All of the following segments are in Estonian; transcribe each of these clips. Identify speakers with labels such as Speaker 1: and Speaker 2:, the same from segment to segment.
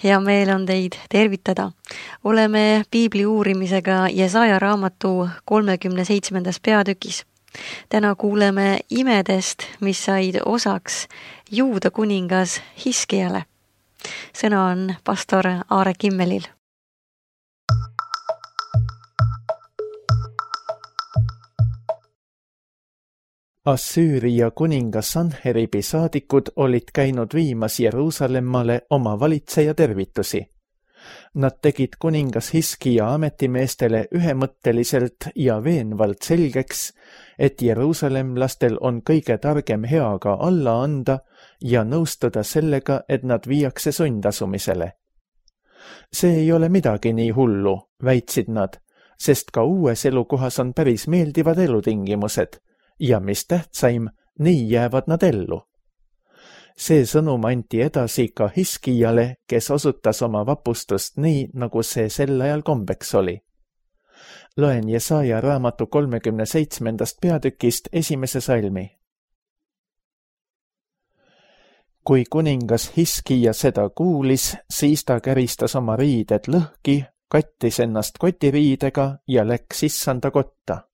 Speaker 1: Hea meel on teid tervitada. Oleme piibli uurimisega Jesaja raamatu 37. peatükis. Täna kuuleme imedest, mis said osaks Juuda kuningas Hiskiale. Sõna on pastor Aare Kimmelil.
Speaker 2: Assüüria kuningas Sanheribi saadikud olid käinud viimas Jeruusalemmale oma valitseja tervitusi. Nad tegid kuningas Hiskia ametimeestele ühemõtteliselt ja veenvalt selgeks, et jeruusalemlastel on kõige targem heaga alla anda ja nõustuda sellega, et nad viiakse sundasumisele. See ei ole midagi nii hullu, väitsid nad, sest ka uues elukohas on päris meeldivad elutingimused ja mis tähtsaim, nii jäävad nad ellu. See sõnum anti edasi ka Hiskiale, kes osutas oma vapustust nii, nagu see sel ajal kombeks oli. Loen Jesaja raamatu 37. peatükist 1. salmi. Kui kuningas Hiskia seda kuulis, siis ta käristas oma riided lõhki, kattis ennast kotiriidega ja läks issanda kotta.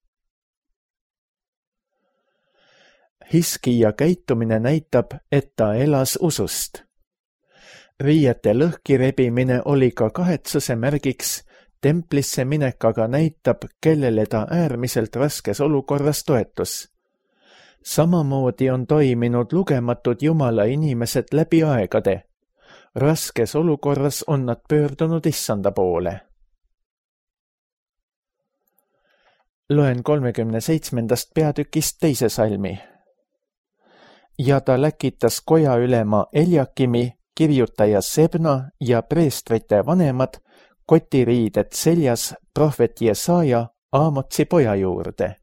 Speaker 2: Hiskia käitumine näitab, et ta elas usust. Riiete lõhki rebimine oli ka kahetsuse märgiks, templisse minek aga näitab, kellele ta äärmiselt raskes olukorras toetus. Samamoodi on toiminud lugematud Jumala inimesed läbi aegade. Raskes olukorras on nad pöördunud issanda poole. Loen 37. peatükist 2. salmi. Ja ta läkitas koja ülema Eljakimi, kirjutaja Sebna ja preestrite vanemad kotiriided seljas prohvet Jesaja Aamotsi poja juurde.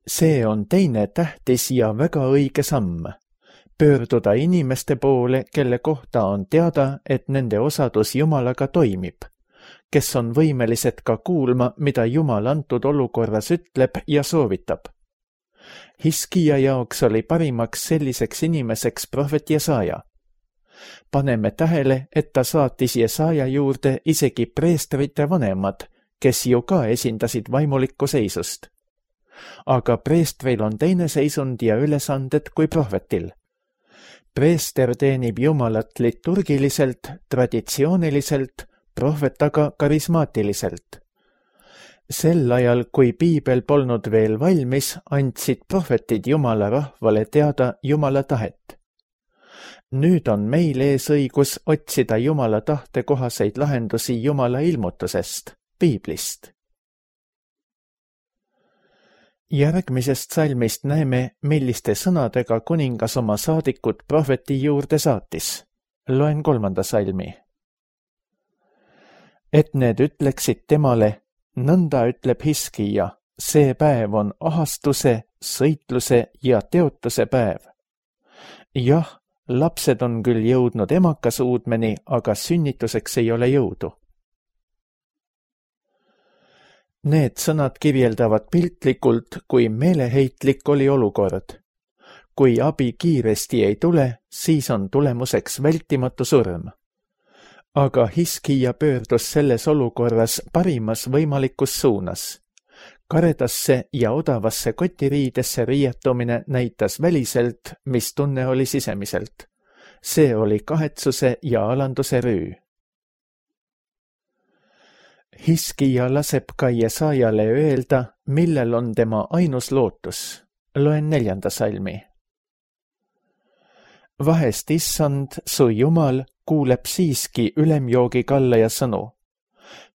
Speaker 2: See on teine tähtis ja väga õige samm. Pöörduda inimeste poole, kelle kohta on teada, et nende osadus Jumalaga toimib, kes on võimelised ka kuulma, mida Jumal antud olukorras ütleb ja soovitab. Hiskia jaoks oli parimaks selliseks inimeseks prohvet Jesaja. Paneme tähele, et ta saatis Jesaja juurde isegi preestrite vanemad, kes ju ka esindasid vaimulikku seisust. Aga preestril on teine seisund ja ülesanded kui prohvetil. Preester teenib Jumalat liturgiliselt, traditsiooniliselt, prohvet aga karismaatiliselt. Sel ajal, kui piibel polnud veel valmis, andsid prohvetid Jumala rahvale teada Jumala tahet. Nüüd on meil ees õigus otsida Jumala tahte kohaseid lahendusi Jumala ilmutusest, piiblist. Järgmisest salmist näeme, milliste sõnadega kuningas oma saadikud prohveti juurde saatis. Loen 3. salmi. Et need ütleksid temale, nõnda ütleb Hiskia, see päev on ahastuse, sõitluse ja teotuse päev. Jah, lapsed on küll jõudnud emakasuudmeni, aga sünnituseks ei ole jõudu. Need sõnad kirjeldavad piltlikult, kui meeleheitlik oli olukord. Kui abi kiiresti ei tule, siis on tulemuseks vältimatu surm. Aga Hiskia pöördus selles olukorras parimas võimalikus suunas. Karedasse ja odavasse kotiriidesse riietumine näitas väliselt, mis tunne oli sisemiselt. See oli kahetsuse ja alanduse rüü. Hiskia laseb ka Jesajale öelda, millel on tema ainus lootus. Loen 4. salmi. Vahest issand, su Jumal, kuuleb siiski ülemjoogi kallaja sõnu.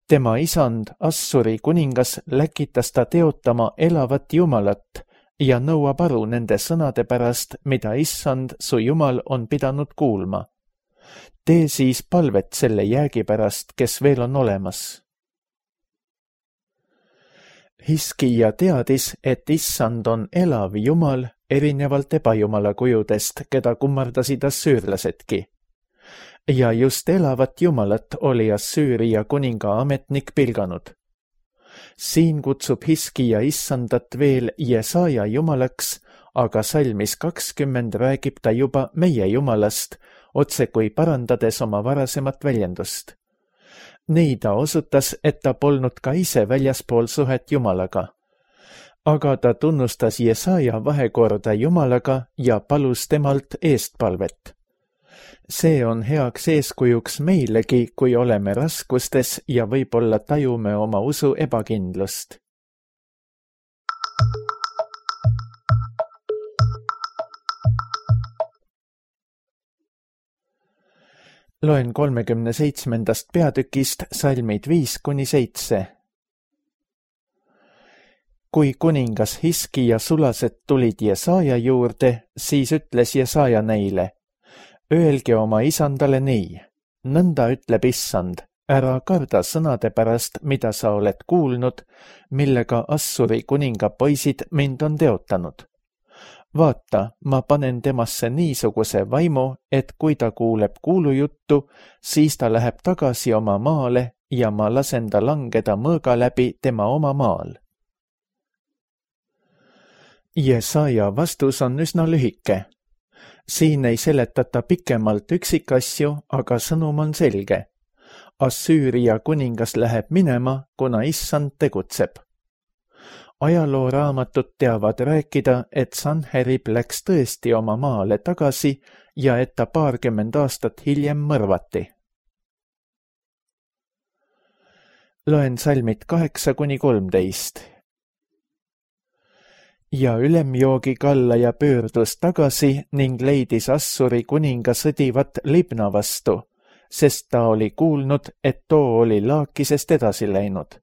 Speaker 2: Tema isand, Assuri kuningas, läkitas ta teotama elavat Jumalat ja nõuab aru nende sõnade pärast, mida issand, su Jumal, on pidanud kuulma. Tee siis palvet selle jäägi pärast, kes veel on olemas. Hiskia teadis, et issand on elav Jumal, erinevalt ebajumala kujudest, keda kummardasid assüürlasedki. Ja just elavat Jumalat oli Assüüria kuninga ametnik pilganud. Siin kutsub Hiskia issandat veel Jesaja jumalaks, aga salmis 20 räägib ta juba meie Jumalast, otse kui parandades oma varasemat väljendust. Nii ta osutas, et ta polnud ka ise väljaspool suhet Jumalaga. Aga ta tunnustas Jesaja vahekorda Jumalaga ja palus temalt eestpalvet. See on heaks eeskujuks meilegi, kui oleme raskustes ja võib-olla tajume oma usu ebakindlust. Loen 37. peatükist salmid 5-7. Kui kuningas Hiskija sulased tulid Jesaja juurde, siis ütles Jesaja neile: Öelge oma isandale nii, nõnda ütleb Issand, ära karda sõnade pärast, mida sa oled kuulnud, millega Assuri kuninga poisid mind on teotanud. Vaata, ma panen temasse niisuguse vaimu, et kui ta kuuleb kuulujuttu, siis ta läheb tagasi oma maale ja ma lasen ta langeda mõõga läbi tema oma maal. Jesaja vastus on üsna lühike. Siin ei seletata pikemalt üksikasju, aga sõnum on selge. Assüüria kuningas läheb minema, kuna Issand tegutseb. Ajalooraamatut teavad rääkida, et Sanherib läks tõesti oma maale tagasi ja et ta 20 aastat hiljem mõrvati. Loen salmid 8-13. Ja ülemjoogi kallaja pöördus tagasi ning leidis Assuri kuninga sõdivat Libna vastu, sest ta oli kuulnud, et too oli Laakisest edasi läinud.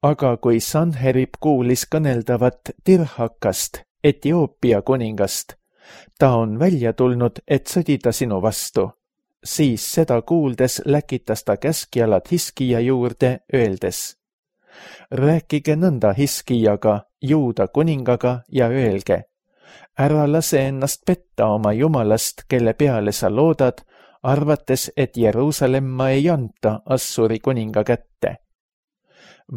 Speaker 2: Aga kui Sanherib kuulis kõneldavat Tirhakast, Etioopia kuningast, ta on välja tulnud, et sõdida sinu vastu, siis seda kuuldes läkitas ta käskjalad Hiskija juurde, öeldes: Rääkige nõnda Hiskijaga, Juuda kuningaga ja öelge: ära lase ennast petta oma jumalast, kelle peale sa loodad, arvates, et Jeruusalemma ei anta Assuri kuninga kätte.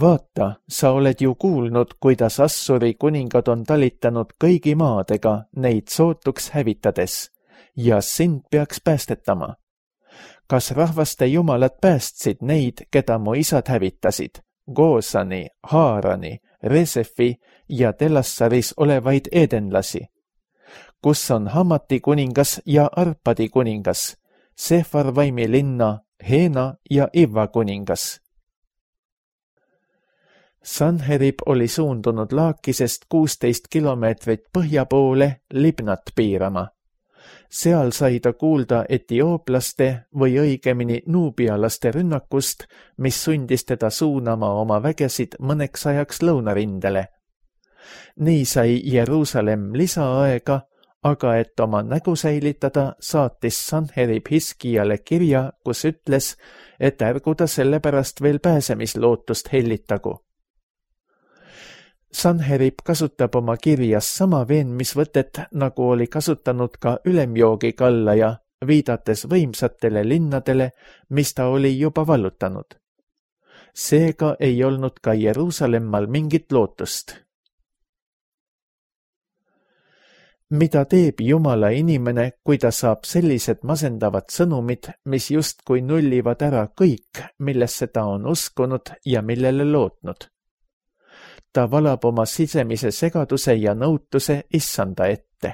Speaker 2: Vaata, sa oled ju kuulnud, kuidas Assuri kuningad on talitanud kõigi maadega neid sootuks hävitades, ja sind peaks päästetama. Kas rahvaste jumalad päästsid neid, keda mu isad hävitasid? Goosani, Haarani, Resefi ja Telassaris olevaid edenlasi. Kus on Hamati kuningas ja Arpadi kuningas, Sefarvaimi linna, Heena ja Ivva kuningas? Sanherib oli suundunud Laakisest 16 kilomeetrit põhja poole Libnat piirama. Seal sai ta kuulda etiooplaste või õigemini nuubialaste rünnakust, mis sundis teda suunama oma vägesid mõneks ajaks lõunarindele. Nii sai Jeruusalemm lisaaega, aga et oma nägu säilitada, saatis Sanherib Hiskijale kirja, kus ütles, et ärgu ta sellepärast veel pääsemislootust hellitagu. Sanherib kasutab oma kirjas sama veenmisvõtet, nagu oli kasutanud ka ülemjoogi kallaja, viidates võimsatele linnadele, mis ta oli juba vallutanud. Seega ei olnud ka Jeruusalemmal mingit lootust. Mida teeb Jumala inimene, kui ta saab sellised masendavad sõnumid, mis justkui nullivad ära kõik, millesse ta on uskunud ja millele lootnud? Ta valab oma sisemise segaduse ja nõutuse Issanda ette.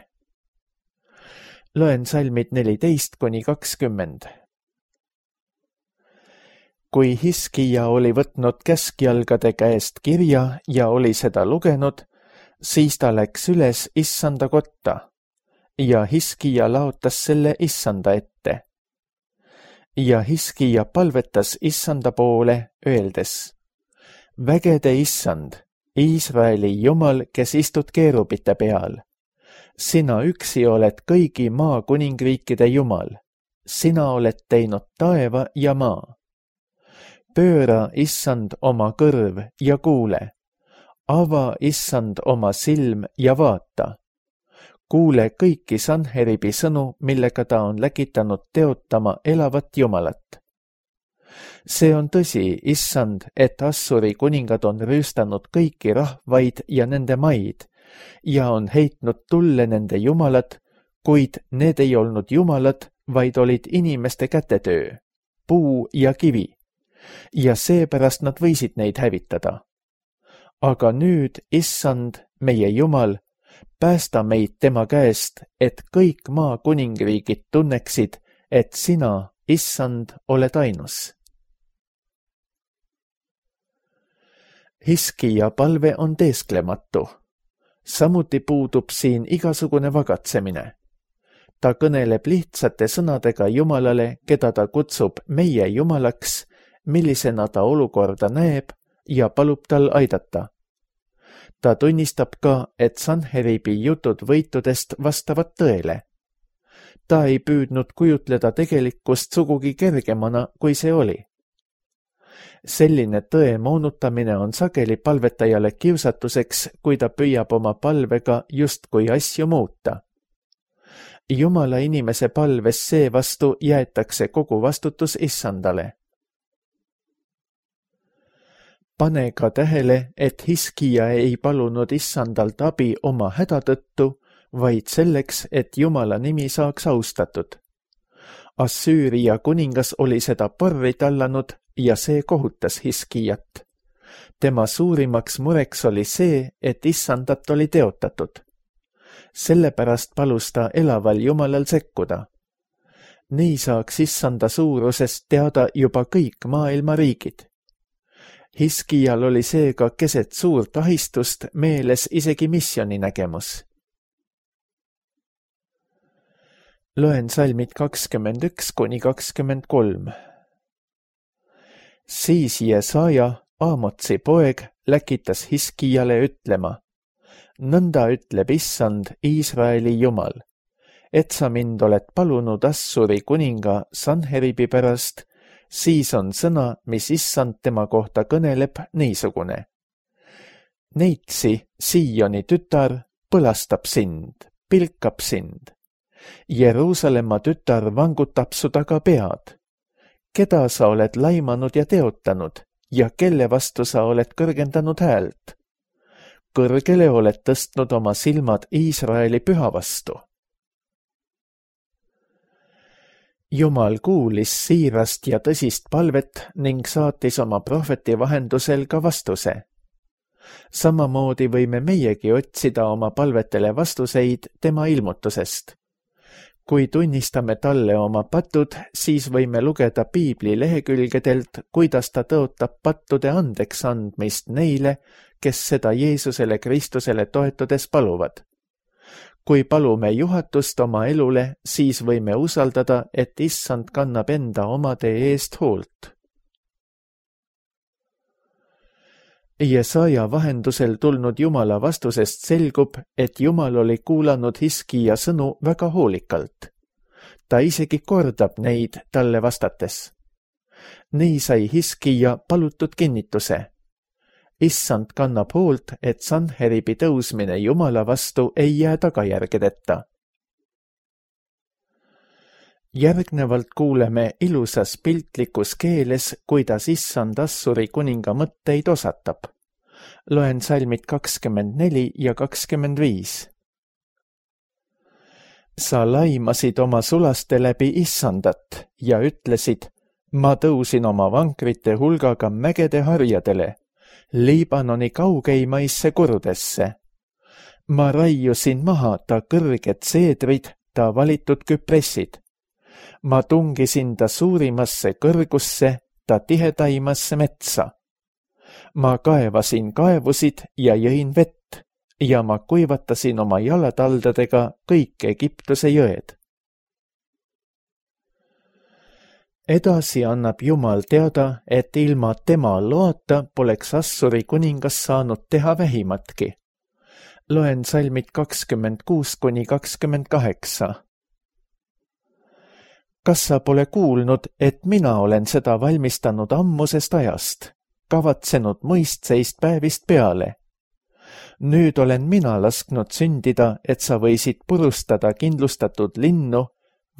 Speaker 2: Loen salmid 14-20. Kui Hiskija oli võtnud käskjalgade käest kirja ja oli seda lugenud, siis ta läks üles Issanda kotta ja Hiskija laotas selle Issanda ette. Ja Hiskija palvetas Issanda poole, öeldes: Vägede Issand, Iisraeli Jumal, kes istud keerubite peal. Sina üksi oled kõigi maa kuningriikide Jumal. Sina oled teinud taeva ja maa. Pööra, Issand, oma kõrv ja kuule. Ava, Issand, oma silm ja vaata. Kuule kõiki Sanheribi sõnu, millega ta on läkitanud teotama elavat Jumalat. See on tõsi, Issand, et Assuri kuningad on rüüstanud kõiki rahvaid ja nende maid ja on heitnud tulle nende jumalad, kuid need ei olnud jumalad, vaid olid inimeste kätetöö, puu ja kivi, ja seepärast nad võisid neid hävitada. Aga nüüd, issand, meie Jumal, päästa meid tema käest, et kõik maa kuningriigid tunneksid, et sina, issand, oled ainus. Hiskija palve on teesklematu. Samuti puudub siin igasugune vagatsemine. Ta kõneleb lihtsate sõnadega Jumalale, keda ta kutsub meie Jumalaks, millisena ta olukorda näeb ja palub tal aidata. Ta tunnistab ka, et Sanheribi jutud võitudest vastavad tõele. Ta ei püüdnud kujutleda tegelikkust sugugi kergemana, kui see oli. Selline tõe moonutamine on sageli palvetajale kiusatuseks, kui ta püüab oma palvega justkui asju muuta. Jumala inimese palves seevastu jäetakse kogu vastutus issandale. Pane ka tähele, et Hiskija ei palunud issandalt abi oma häda tõttu, vaid selleks, et Jumala nimi saaks austatud. Assüüria kuningas oli seda porri tallanud ja see kohutas Hiskijat. Tema suurimaks mureks oli see, et issandat oli teotatud. Sellepärast palus ta elaval Jumalal sekkuda. Nii saaks issanda suurusest teada juba kõik maailma riigid. Hiskijal oli seega keset suurt ahistust meeles isegi missiooni nägemus. Loen salmid 21–23. Siis Jesaja, Aamotsi poeg, läkitas Hiskijale ütlema: Nõnda ütleb issand, Iisraeli Jumal, et sa mind oled palunud Assuri kuninga Sanheribi pärast, siis on sõna, mis issand tema kohta kõneleb, niisugune. Neitsi, Sioni tütar, põlastab sind, pilkab sind. Jeruusalemma tütar vangutab su taga pead. Keda sa oled laimanud ja teotanud ja kelle vastu sa oled kõrgendanud häält? Kõrgele oled tõstnud oma silmad Iisraeli püha vastu. Jumal kuulis siirast ja tõsist palvet ning saatis oma prohveti vahendusel ka vastuse. Samamoodi võime meiegi otsida oma palvetele vastuseid tema ilmutusest. Kui tunnistame talle oma patud, siis võime lugeda Piibli lehekülgedelt, kuidas ta tõotab pattude andeks andmist neile, kes seda Jeesusele Kristusele toetudes paluvad. Kui palume juhatust oma elule, siis võime usaldada, et issand kannab enda omade eest hoolt. Jesaja vahendusel tulnud Jumala vastusest selgub, et Jumal oli kuulanud Hiskija sõnu väga hoolikalt. Ta isegi kordab neid talle vastates. Nii sai Hiskija palutud kinnituse. Issand kannab hoolt, et Sanheribi tõusmine Jumala vastu ei jää tagajärgedeta. Järgnevalt kuuleme ilusas piltlikus keeles, kuidas issand Assuri kuninga mõtteid osatab. Loen salmid 24 ja 25. Sa laimasid oma sulaste läbi issandat ja ütlesid: ma tõusin oma vankrite hulgaga mägede harjadele, Liibanoni kaugeimaisse kurdesse. Ma raiusin maha ta kõrged seedrid, ta valitud küpressid. Ma tungisin ta suurimasse kõrgusse, ta tihedaimasse metsa. Ma kaevasin kaevusid ja jõin vett ja ma kuivatasin oma jalataldadega kõik Egiptuse jõed. Edasi annab Jumal teada, et ilma tema loata poleks Assuri kuningas saanud teha vähimatki. Loen salmid 26–28. Kas sa pole kuulnud, et mina olen seda valmistanud ammusest ajast, kavatsenud mõistseist päevist peale? Nüüd olen mina lasknud sündida, et sa võisid purustada kindlustatud linnu,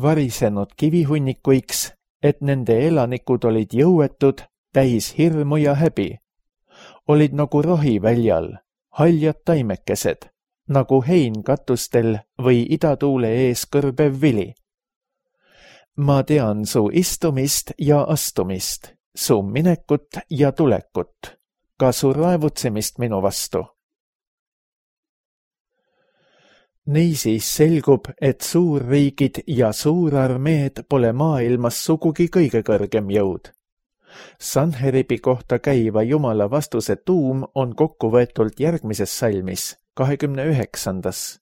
Speaker 2: varisenud kivihunnikuiks, et nende elanikud olid jõuetud, täis hirmu ja häbi. Olid nagu rohi väljal, haljad taimekesed, nagu hein katustel või idatuule ees kõrbev vili. ma tean su istumist ja astumist, su minekut ja tulekut, ka su raevutsemist minu vastu. Niisiis selgub, et suurriigid ja suurarmeed pole maailmas sugugi kõige kõrgem jõud. Sanheribi kohta käiva Jumala vastuse tuum on kokkuvõetult järgmises salmis, 29.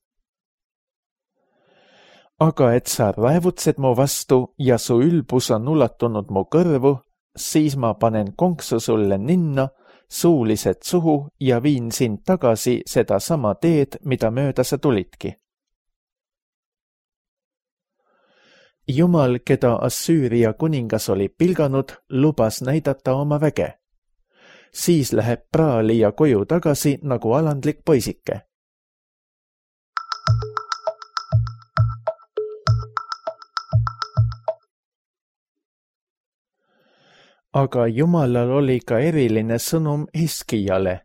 Speaker 2: Aga et sa raevutsed mu vastu ja su ülbus on ulatunud mu kõrvu, siis ma panen konksu sulle ninna, suulised suhu ja viin sind tagasi seda sama teed, mida mööda sa tulidki. Jumal, keda Assüüria kuningas oli pilganud, lubas näidata oma väge. Siis läheb praalija koju tagasi nagu alandlik poisike. Aga Jumalal oli ka eriline sõnum Hiskijale.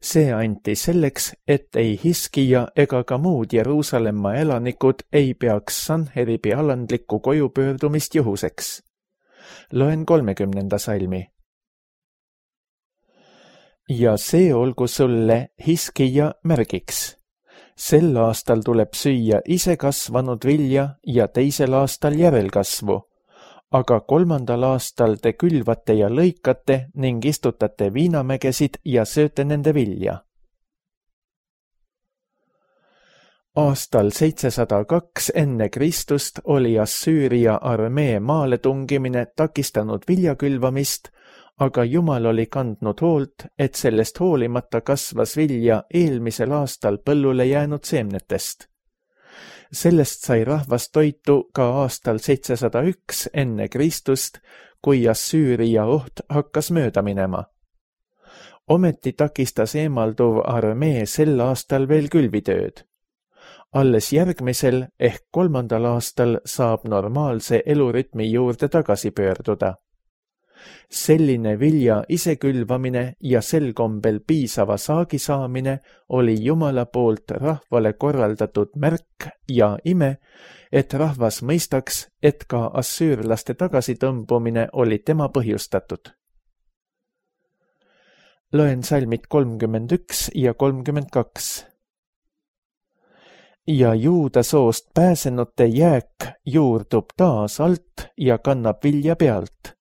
Speaker 2: See anti selleks, et ei Hiskija ega ka muud Jeruusalemma elanikud ei peaks Sanheribi alandlikku koju pöördumist juhuseks. Loen 30. salmi. Ja see olgu sulle Hiskija märgiks. Sel aastal tuleb süüa ise kasvanud vilja ja teisel aastal järelkasvu. Aga 3. aastal te külvate ja lõikate ning istutate viinamägesid ja sööte nende vilja. Aastal 702 enne Kristust oli Assüüria armee maale tungimine takistanud viljakülvamist, aga Jumal oli kandnud hoolt, et sellest hoolimata kasvas vilja eelmisel aastal põllule jäänud seemnetest. Sellest sai rahvas toitu ka aastal 701 enne Kristust, kui Assüüria oht hakkas mööda minema. Ometi takistas eemalduv armee sel aastal veel külvitööd. Alles järgmisel ehk 3. aastal saab normaalse elurütmi juurde tagasi pöörduda. Selline vilja isekülvamine ja sel kombel piisava saagi saamine oli Jumala poolt rahvale korraldatud märk ja ime, et rahvas mõistaks, et ka assüürlaste tagasitõmbumine oli tema põhjustatud. Loen salmid 31 ja 32. Ja Juuda soost pääsenute jääk juurdub taas alt ja kannab vilja pealt,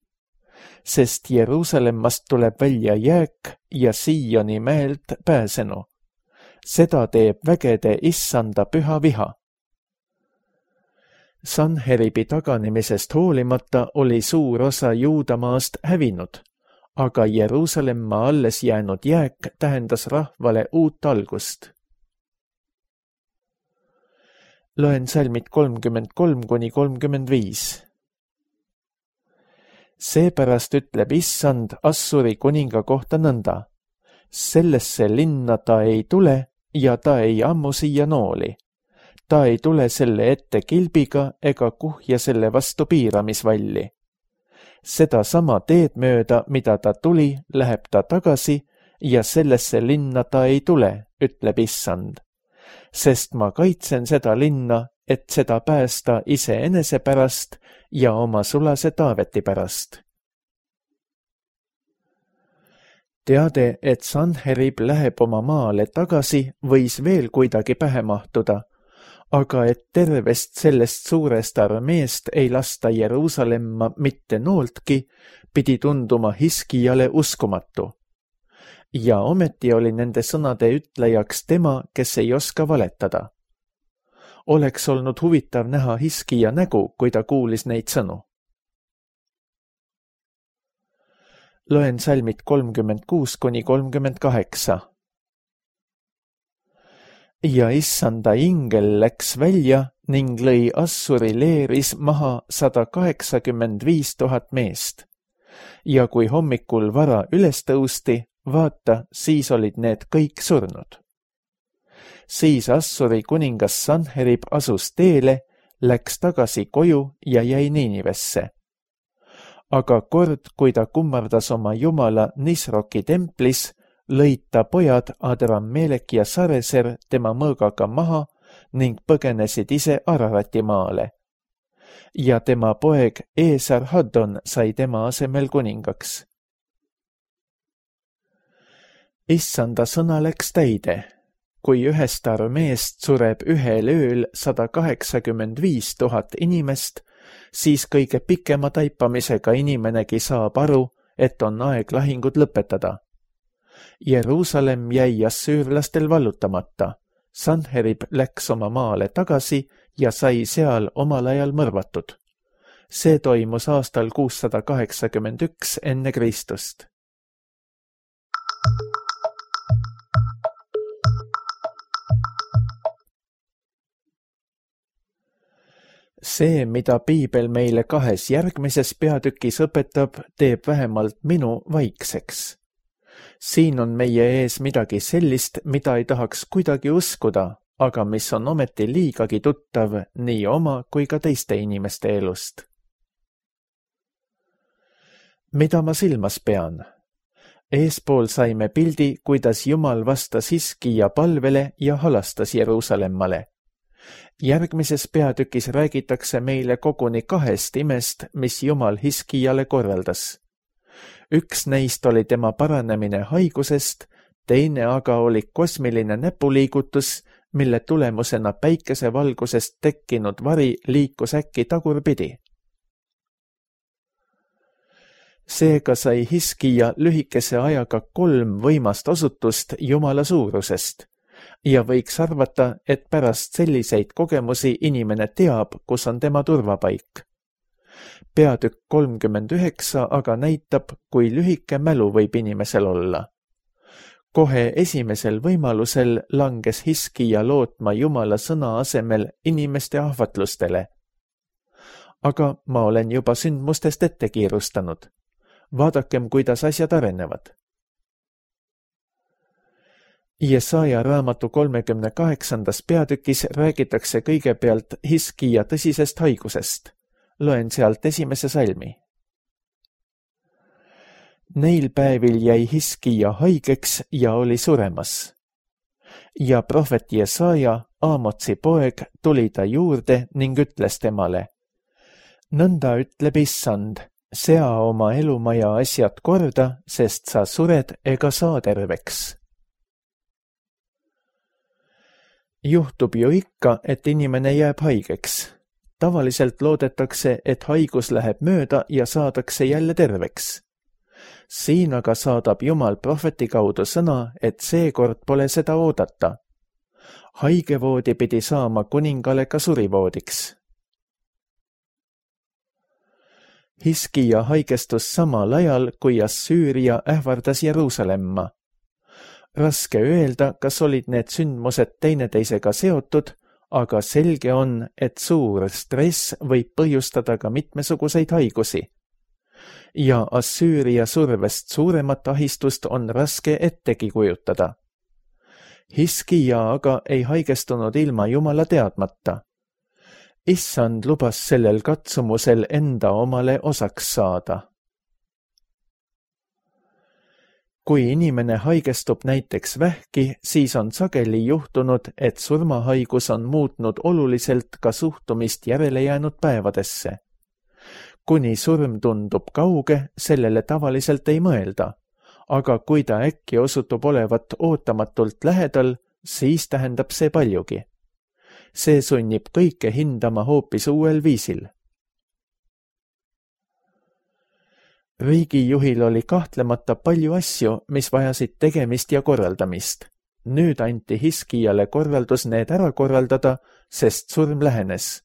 Speaker 2: sest Jeruusalemmast tuleb välja jääk ja Sioni mäelt pääsenu. Seda teeb vägede issanda püha viha. Sanheribi taganemisest hoolimata oli suur osa Juudamaast hävinud, aga Jeruusalemma alles jäänud jääk tähendas rahvale uut algust. Loen salmid 33–35. Seepärast ütleb issand Assuri kuninga kohta nõnda. Sellesse linna ta ei tule ja ta ei ammu siia nooli. Ta ei tule selle ette kilbiga ega kuhja selle vastu piiramisvalli. Seda sama teed mööda, mida ta tuli, läheb ta tagasi ja sellesse linna ta ei tule, ütleb issand. Sest ma kaitsen seda linna, et seda päästa iseenese pärast ja oma sulase Taaveti pärast. Teade, et Sanherib läheb oma maale tagasi, võis veel kuidagi pähe mahtuda, aga et tervest sellest suurest armeest ei lasta Jeruusalemma mitte nooltki, pidi tunduma Hiskijale uskumatu. Ja ometi oli nende sõnade ütlejaks tema, kes ei oska valetada. Oleks olnud huvitav näha Hiskija nägu, kui ta kuulis neid sõnu. Loen salmid 36–38. Ja issanda ingel läks välja ning lõi Assuri leeris maha 185 000 meest. Ja kui hommikul vara üles tõusti, vaata, siis olid need kõik surnud. Siis Assuri kuningas Sanherib asus teele, läks tagasi koju ja jäi Niinivesse. Aga kord, kui ta kummardas oma jumala Nisroki templis, lõid ta pojad Adrammelek ja Sareser tema mõõgaga maha ning põgenesid ise Ararati maale. ja tema poeg Esarhaddon sai tema asemel kuningaks. Issanda sõna läks täide. Kui ühest armeest sureb ühel ööl 185 000 inimest, siis kõige pikema taipamisega inimenegi saab aru, et on aeg lahingud lõpetada. Jeruusalemm jäi assüürlastel vallutamata. Sanherib läks oma maale tagasi ja sai seal omal ajal mõrvatud. See toimus aastal 681 enne Kristust. See, mida piibel meile 2 järgmises peatükis õpetab, teeb vähemalt minu vaikseks. Siin on meie ees midagi sellist, mida ei tahaks kuidagi uskuda, aga mis on ometi liigagi tuttav nii oma kui ka teiste inimeste elust. Mida ma silmas pean? Eespool saime pildi, kuidas Jumal vastas Hiskija palvele ja halastas Jeruusalemmale. Järgmises peatükis räägitakse meile koguni 2 imest, mis Jumal Hiskijale korraldas. Üks neist oli tema paranemine haigusest, teine aga oli kosmiline näpuliigutus, mille tulemusena päikesevalgusest tekkinud vari liikus äkki tagurpidi. Seega sai Hiskija lühikese ajaga 3 võimast osutust Jumala suurusest. Ja võiks arvata, et pärast selliseid kogemusi inimene teab, kus on tema turvapaik. Peatükk 39 aga näitab, kui lühike mälu võib inimesel olla. Kohe esimesel võimalusel langes Hiskija lootma Jumala sõna asemel inimeste ahvatlustele. Aga ma olen juba sündmustest ette kiirustanud. Vaadakem, kuidas asjad arenevad. Jesaja raamatu 38. peatükis räägitakse kõigepealt Hiskija tõsisest haigusest. Loen sealt 1. salmi. Neil päevil jäi Hiskija haigeks ja oli suremas. Ja prohvet Jesaja, Aamotsi poeg, tuli ta juurde ning ütles temale: Nõnda ütleb Issand, sea oma elumaja asjad korda, sest sa sured ega saa terveks. Juhtub ju ikka, et inimene jääb haigeks. Tavaliselt loodetakse, et haigus läheb mööda ja saadakse jälle terveks. Siin aga saadab Jumal prohveti kaudu sõna, et seekord pole seda oodata. Haigevoodi pidi saama kuningale ka surivoodiks. Hiskija haigestus samal ajal, kui Assüüria ähvardas Jeruusalemma. Raske öelda, kas olid need sündmused teineteisega seotud, aga selge on, et suur stress võib põhjustada ka mitmesuguseid haigusi. Ja Assüüria survest suuremat ahistust on raske ettegi kujutada. Hiskija aga ei haigestunud ilma Jumala teadmata. Issand lubas sellel katsumusel enda omale osaks saada. Kui inimene haigestub näiteks vähki, siis on sageli juhtunud, et surmahaigus on muutnud oluliselt ka suhtumist järele jäänud päevadesse. Kuni surm tundub kauge, sellele tavaliselt ei mõelda, aga kui ta äkki osutub olevat ootamatult lähedal, siis tähendab see paljugi. See sunnib kõike hindama hoopis uuel viisil. Riigijuhil oli kahtlemata palju asju, mis vajasid tegemist ja korraldamist. Nüüd anti Hiskijale korraldus need ära korraldada, sest surm lähenes.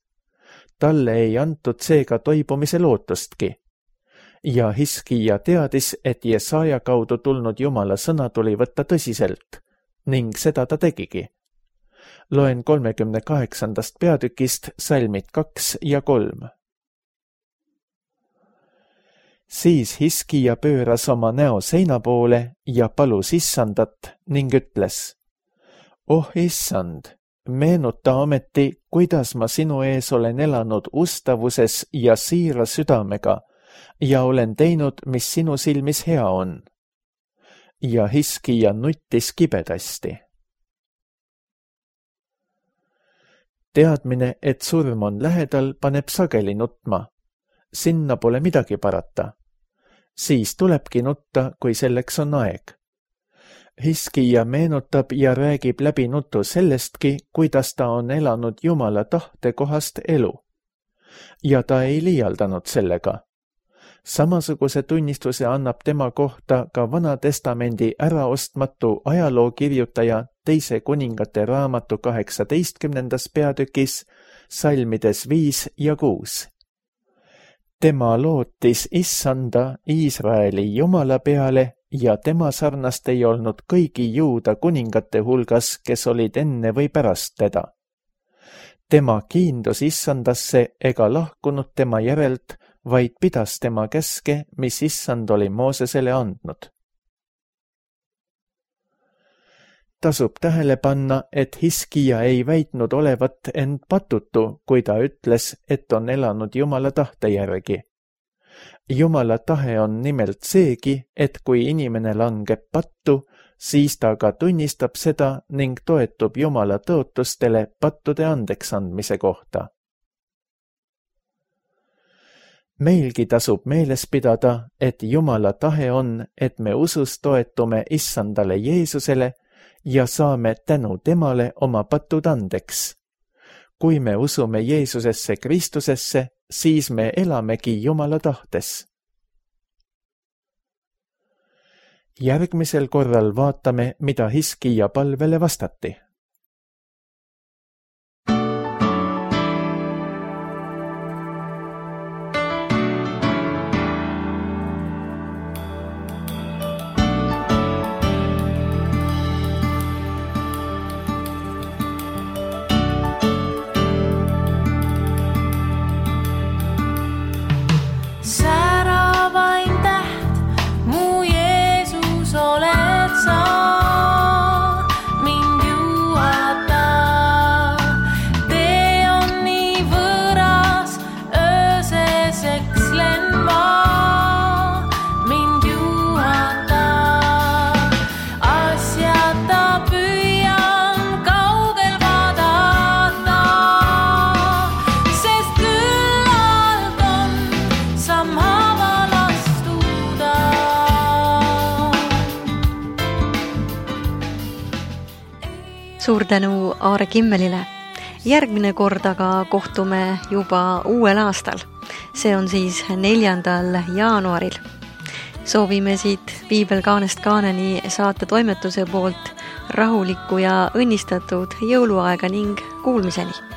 Speaker 2: Talle ei antud seega toibumise lootustki. Ja Hiskija teadis, et Jesaja kaudu tulnud Jumala sõna tuli võtta tõsiselt, ning seda ta tegigi. Loen 38. peatükist salmid 2 ja 3. Siis Hiskija pööras oma näo seina poole ja palus Issandat ning ütles: Oh Issand, meenuta ometi, kuidas ma sinu ees olen elanud ustavuses ja siira südamega ja olen teinud, mis sinu silmis hea on. Ja Hiskija nuttis kibedasti. teadmine, et surm on lähedal, paneb sageli nutma. Sinna pole midagi parata. Siis tulebki nutta, kui selleks on aeg. Hiskija meenutab ja räägib läbi nutu sellestki, kuidas ta on elanud Jumala tahte kohast elu. Ja ta ei liialdanud sellega. Samasuguse tunnistuse annab tema kohta ka Vana Testamendi äraostmatu ajalookirjutaja Teise kuningate raamatu 18. peatükis, salmides 5 ja 6. Tema lootis Issanda Iisraeli Jumala peale ja tema sarnast ei olnud kõigi Juuda kuningate hulgas, kes olid enne või pärast teda. Tema kiindus Issandasse ega lahkunud tema järelt, vaid pidas tema käske, mis Issand oli Moosesele andnud. Tasub tähele panna, et Hiskija ei väitnud olevat end patutu, kui ta ütles, et on elanud Jumala tahte järgi. Jumala tahe on nimelt seegi, et kui inimene langeb pattu, siis ta ka tunnistab seda ning toetub Jumala tõotustele pattude andeks andmise kohta. Meilgi tasub meeles pidada, et Jumala tahe on, et me usus toetume Issandale Jeesusele ja saame tänu temale oma patud andeks. Kui me usume Jeesusesse Kristusesse, siis me elamegi Jumala tahtes. Järgmisel korral vaatame, mida Hiskija palvele vastati.
Speaker 1: Suur tänu Aare Kimmelile. Järgmine kord aga kohtume juba uuel aastal. See on siis 4. jaanuaril. Soovime siit Piibel kaanest kaaneni saate toimetuse poolt rahulikku ja õnnistatud jõuluaega ning kuulmiseni.